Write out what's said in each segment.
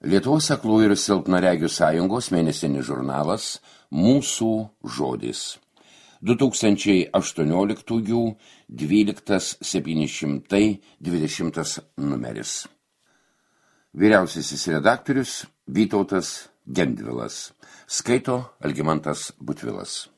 Lietuvos aklųjų ir silpnaregių sąjungos mėnesinis žurnalas Mūsų žodis. 2018-12-720 numeris. Vyriausiasis redaktorius Vytautas Gendvilas. Skaito Algimantas Butvilas.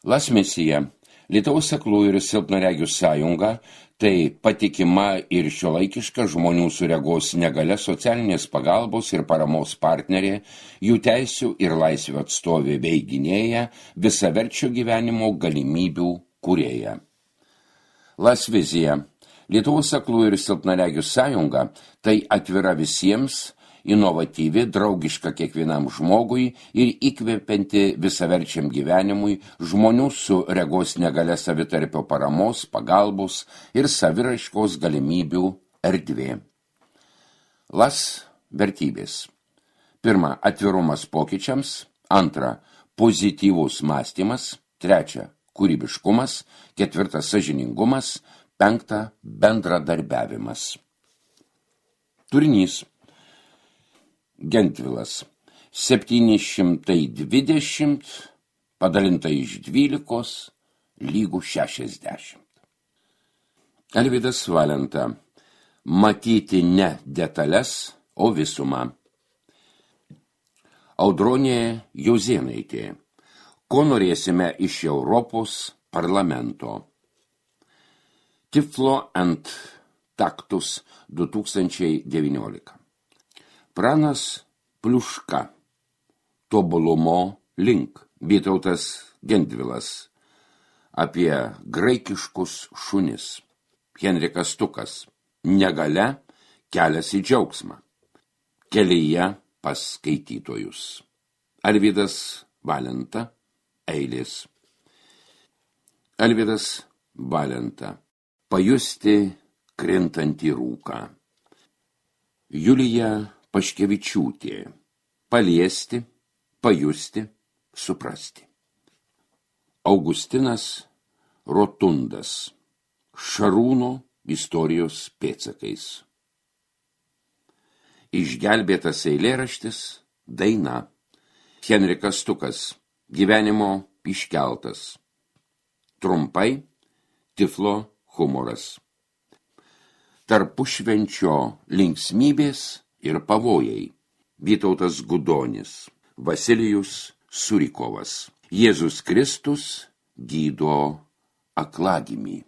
Lasmisija. Lietuvos aklųjų ir silpnaregių sąjunga tai patikima ir šiuolaikiška žmonių su regos negalia socialinės pagalbos ir paramos partnerė, jų teisių ir laisvių atstovė bei gynėja, visaverčio gyvenimo galimybių kūrėja. Lasvizija. Lietuvos aklųjų ir silpnaregių sąjunga tai atvira visiems, inovatyvi, draugiška kiekvienam žmogui ir įkvepianti visaverčiam gyvenimui žmonių su regos negalia savitarpio paramos, pagalbos ir saviraiškos galimybių erdvė. Las vertybės. 1. Atvirumas pokyčiams. 2. Pozityvus mąstymas. 3. Kūrybiškumas. 4. Sąžiningumas. 5. Bendradarbiavimas. Turinys. Gendvilas. 720 padalinta iš 12 lygų 60. Alvydas Valenta. Matyti ne detalės, o visumą. Audronė Jozėnaitė. Ko norėsime iš Europos parlamento? Tiflo ant taktus 2019. Pranas Pliuška. Tobulumo link. Vytautas Gendvilas. Apie graikiškus šunis. Henrikas Stukas. Negalia kelias į džiaugsmą. Kelyje pas skaitytojus. Alvydas Valenta. Eilės. Alvydas Valenta. Pajusti krintantį rūką. Julija Paškevičiūtė. Paliesti, pajusti, suprasti. Augustinas Rotundas. Šarūno istorijos pėdsakais. Išgelbėtas eilėraštis, daina. Henrikas Stukas. Gyvenimo iškeltas. Trumpai, Tiflo humoras. Tarpušvenčio linksmybės ir pavojai. Vytautas Gudonis. Vasilijus Surikovas. Jėzus Kristus gydo aklagimį.